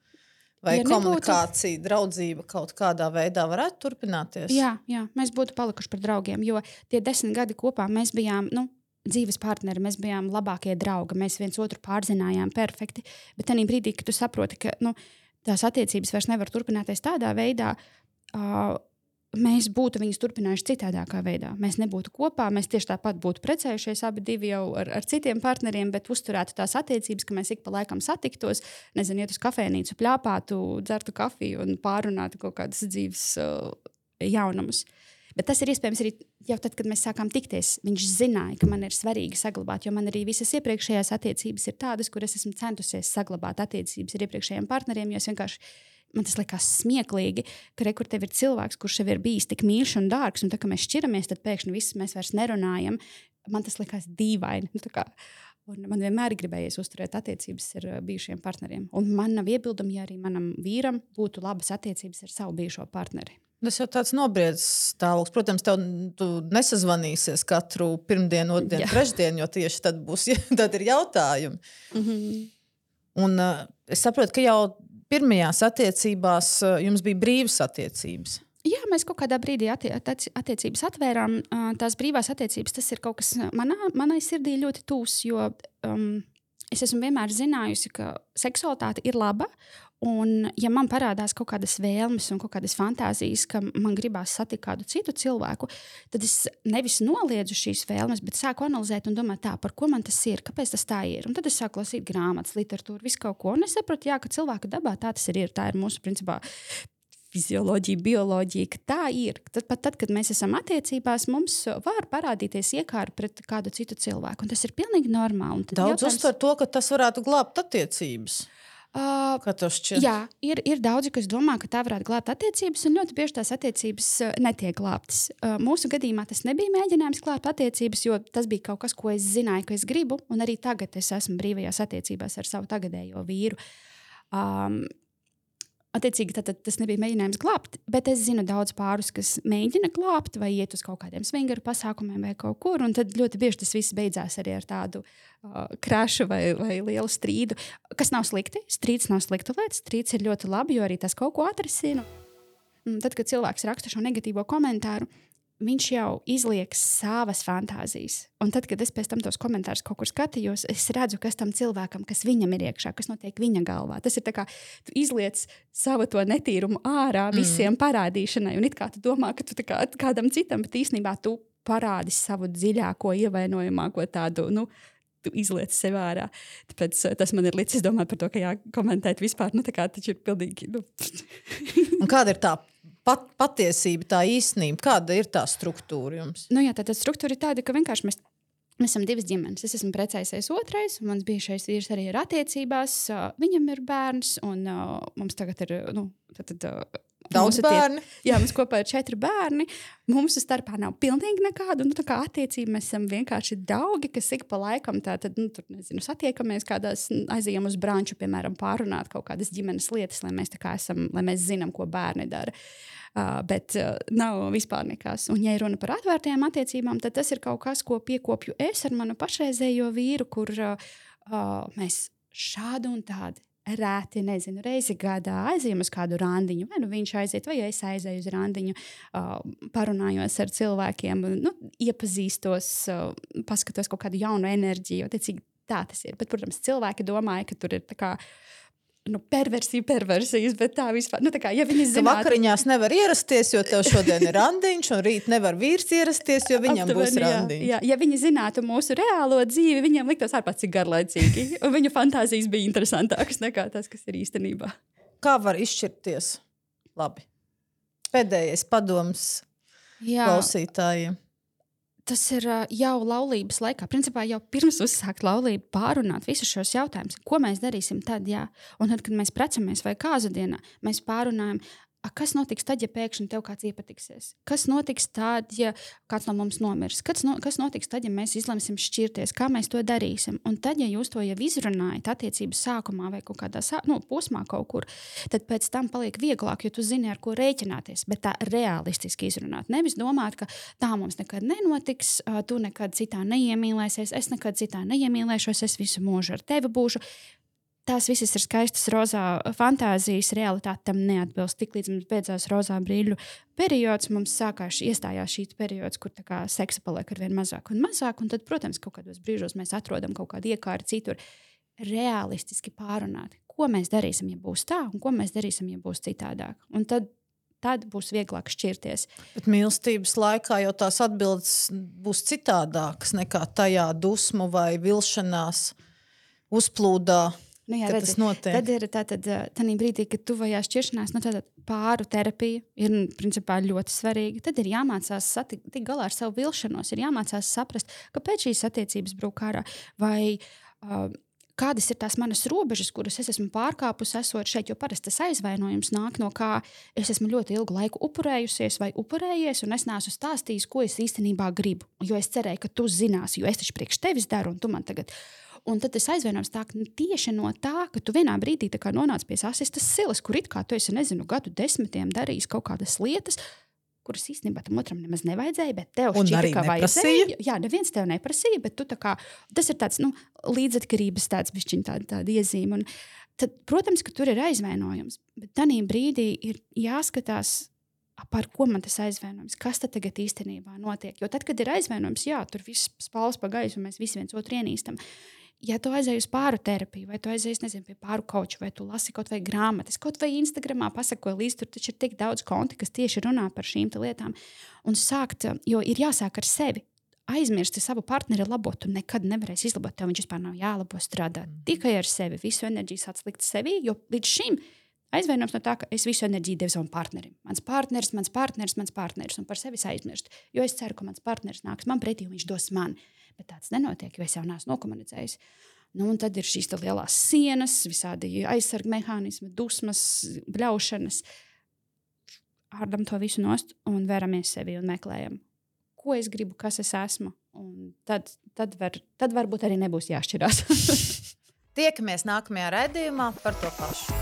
vai komunikācija, draudzība kaut kādā veidā varētu turpināties? Jā, mēs būtu palikuši par draugiem, jo tie 10 gadi kopā mēs bijām, dzīves partneri, mēs bijām labākie draugi, mēs viens otru pārzinājām perfekti, bet tajā brīdī, kad tu saproti, ka tās attiecības vairs nevar turpināties tādā veidā, mēs būtu viņas turpinājuši citādākā veidā. Mēs nebūtu kopā, mēs tieši tāpat būtu precējušies abi divi jau ar citiem partneriem, bet uzturētu tās attiecības, ka mēs ik pa laikam satiktos, iet uz kafejnīcu, pļāpātu, dzertu kafiju un pārunātu kaut kādas dzīves jaunumus. Bet tas ir iespējams arī jau tad, kad mēs sākām tikties. Viņš zināja, ka man ir svarīgi saglabāt, jo man arī visas iepriekšējās attiecības ir tādas, kur es esmu centusies saglabāt attiecības ar iepriekšējiem partneriem, jo es vienkārši, man tas likās smieklīgi, ka kur tev ir cilvēks, kurš jau ir bijis tik mīļš un dārgs, un tā, ka mēs šķiramies, tad pēkšņi viss mēs vairs nerunājam. Man tas likās dīvaini. Un man vienmēr gribējies uzturēt attiecības ar bijušiem partneriem. Un man nav iebildumi, ja arī manam vīram būtu labas attiecības ar savu bijušo partneri. Tas jau tāds nobriedzis stāvoklis. Protams, tu nesazvanīsies katru pirmdienu, otdienu, trešdienu, jo tieši tad ir jautājumi. Mm-hmm. Un es saprotu, ka jau pirmajās attiecībās jums bija brīvas attiecības. Jā, mēs kaut kādā brīdī attiecības atvērām. Tās brīvās attiecības, tas ir kaut kas manai sirdī ļoti tūs, jo es esmu vienmēr zinājusi, ka seksualitāte ir laba. Un, ja man parādās kaut kādas vēlmes un kaut kādas fantāzijas, ka man gribās satikt kādu citu cilvēku, tad es nevis noliedzu šīs vēlmes, bet sāku analizēt un domāt tā, par ko man tas ir, kāpēc tas tā ir. Un tad es sāku lasīt grāmatas, literatūru, visu kaut ko. Un es sapratu, ka cilvēka dabā tā tas ir. Tā ir mūsu, principā, fizioloģija, bioloģija, ka tā ir. Tad, kad mēs esam attiecībās, mums var parādīties iekāra pret kādu citu cilvēku. Un tas ir pilnīgi normāli. Daudz uztver to, ka tas varētu glābt attiecības. Jā, ir daudzi, kas domā, ka tā varētu glābt attiecības, un ļoti bieži tās attiecības netiek glābtas. Mūsu gadījumā tas nebija mēģinājums glābt attiecības, jo tas bija kaut kas, ko es zināju, ka es gribu, un arī tagad es esmu brīvajās attiecībās ar savu tagadējo vīru. Attiecīgi, tas nebija mēģinājums glābt, bet es zinu daudz pārus, kas mēģina glābt vai iet uz kaut kādiem swingeru pasākumiem vai kaut kur, un tad ļoti bieži tas viss beidzās arī ar tādu krašu vai lielu strīdu, kas nav slikti. Strīds nav slikta lieta, strīds ir ļoti labi, jo arī tas kaut ko atrisina. Tad, kad cilvēks raksta šo negatīvo komentāru, viņš jau izliek savas fantāzijas. Un tad, kad es pēc tam tos komentārus kaut kur skatījos, es redzu, kas tam cilvēkam, kas viņam ir iekšā, kas notiek viņa galvā. Tas ir tā kā tu izliec savu to netīrumu ārā visiem parādīšanai. Un it kā tu domā, ka tu tā kā kādam citam, bet īstenībā tu parādi savu dziļāko, ievainojamāko tādu, tu izliec sev ārā. Tāpēc tas man ir licis domāt par to, ka jākomentēt vispār, nu tā kā taču ir pilnīgi, nu. Un kāda ir tā patiesība, tā īstenība? Kāda ir tā struktūra jums? Nu jā, tā struktūra ir tāda, ka vienkārši mēs esam divas ģimenes. Es esmu precējusies otrais, un mans bijušais vīrs arī ir attiecībās. Viņam ir bērns, un mums tagad ir, nu, daudz bērni. Jā, mums kopā ir 4 bērni. Mums starpā nav pilnīgi nekāda. Nu, tā kā attiecība mēs esam vienkārši draugi, kas ik pa laikam tātad, nu, tur, nezinu, satiekamies kādās, aizejam uz branču, piemēram, pārunāt kaut kādas ģimenes lietas, lai mēs tā kā esam, lai mēs zinām, ko bērni dara. Bet nav vispār nekas. Un, ja ir runa par atvērtajām attiecībām, tad tas ir kaut kas, ko piekopju es ar manu pašreizējo vīru, kur mēs šādu un tādu rēti, nezinu, reizi gadā aizejam uz kādu randiņu, vai nu viņš aiziet, vai es aizēju uz randiņu, parunājos ar cilvēkiem, nu, iepazīstos, paskatos kaut kādu jaunu enerģiju, attiecīgi tā tas ir. Bet, protams, cilvēki domāja, ka tur ir tā kā perversijas, bet tā vispār, nu tā kā, ja viņi zinātu... Vakariņās nevar ierasties, jo tev šodien ir randiņš, un rīt nevar vīrs ierasties, jo viņam būs randiņš. Jā, ja viņi zinātu mūsu reālo dzīvi, viņiem liktos ārpēc cik garlaicīgi, un viņu fantāzijas bija interesantākas nekā tas, kas ir īstenībā. Kā var izšķirties? Labi. Pēdējais padoms klausītājiem. Tas ir jau laulības laikā. Principā jau pirms uzsākt laulību pārunāt visus šos jautājumus. Ko mēs darīsim tad, jā? Un tad, kad mēs precamies vai kāzu dienā, mēs pārunājam, kas notiks tad, ja pēkšņi tev kāds iepatiksies? Kas notiks tad, ja kāds no mums nomirs? Kas notiks tad, ja mēs izlemsim šķirties? Kā mēs to darīsim? Un tad, ja jūs to jau izrunājat attiecības sākumā vai kaut kādā posmā kaut kur, tad pēc tam paliek vieglāk, jo tu zini, ar ko rēķināties, bet tā realistiski izrunāt. Nevis domāt, ka tā mums nekad nenotiks, tu nekad citā neiemīlēsies, es nekad citā neiemīlēšos, es visu mūžu ar tevi būšu. Tās visas ir skaistas rozā fantāzijas, realitāte tam neatbilst. Tiklīdz mums beidzās rozā brīļu periods, mums iestājās šī periods, kur tā kā seksa paliek arvien mazāk un mazāk, un tad, protams, kaut kādos brīžos mēs atrodam kaut kādu iekāri citur. Realistiski pārunāt, ko mēs darīsim, ja būs tā, un ko mēs darīsim, ja būs citādāk. Un tad būs vieglāk šķirties. Bet mīlestības laikā jau tās atbildes būs citādākas nekā tajā dusmu vai vilšanās uzplūdā. Nu jā, tas notiek. Tad ir tādā brīdī, kad tuvajā šķiršanās, nu, pāru terapija ir principā ļoti svarīga. Tad ir jāmācās tikt galā ar savu vilšanos, ir jāmācās saprast, kāpēc šīs attiecības brūk ārā, vai kādas ir tās manas robežas, kuras es esmu pārkāpusi esot šeit, jo parasti tas aizvainojums nāk no kā es esmu ļoti ilgu laiku upurējusies vai upurējies, un es neesmu stāstījis, ko es īstenībā gribu, jo es cerēju, ka tu zināsi, jo es taču priekš tevis daru, un tu man tagad... Un tad tas aizvainojums tā, ka tieši no tā, ka tu vienā brīdī tā kā nonāc pie sasistas silas, kur it kā tu esi, nezinu, gadu 10 darījis kaut kādas lietas, kuras īstenībā tam otram nemaz nevajadzēja, bet tev šķita, ka vajadzēja. Jā, neviens tev neprasīja, bet tu tā kā, tas ir tāds, nu, līdzatkarības tāds bišķiņ tāda iezīme. Un tad, protams, ka tur ir aizvainojums, bet tanī brīdī ir jāskatās, par ko man tas aizvainojums, kas tad tagad īstenībā notiek. Jo tad, kad ir aizvainojums, jā, tur viss spāles pa gaisu, un mēs visi viens otru ienīstam. Ja tu aizēji uz pāru terapiju, vai tu aizēji, nezinu, pie pāru kauču, vai tu lasi kaut vai grāmatas, kaut vai Instagramā pasako līdz, tur taču ir tik daudz konti, kas tieši runā par šīm lietām. Un sākt, jo ir jāsāk ar sevi. Aizmirsti savu partneri labot, tu nekad nevarēsi izlabot, tev viņš vispār nav jālabo strādāt. Tikai ar sevi, visu enerģiju sāc likt sevī, jo līdz šim aizvainojums no tā, ka es visu enerģiju devu savam partnerim. Mans partneris, un par sevi aizmirst. Jo es ceru, ka mans partneris nāks man pretī, un viņš dos man. Bet tāds nenotiek, jo es jau neesmu nokomunicējis. Nu, un tad ir šīs lielās sienas, visādi aizsarga mehānismi, dusmas, bļaušanas. Ārdam to visu nost un veramies sevi un meklējam, ko es gribu, kas es esmu. Un tad varbūt arī nebūs jāšķirās. Tiekamies nākamajā raidījumā par to pašu.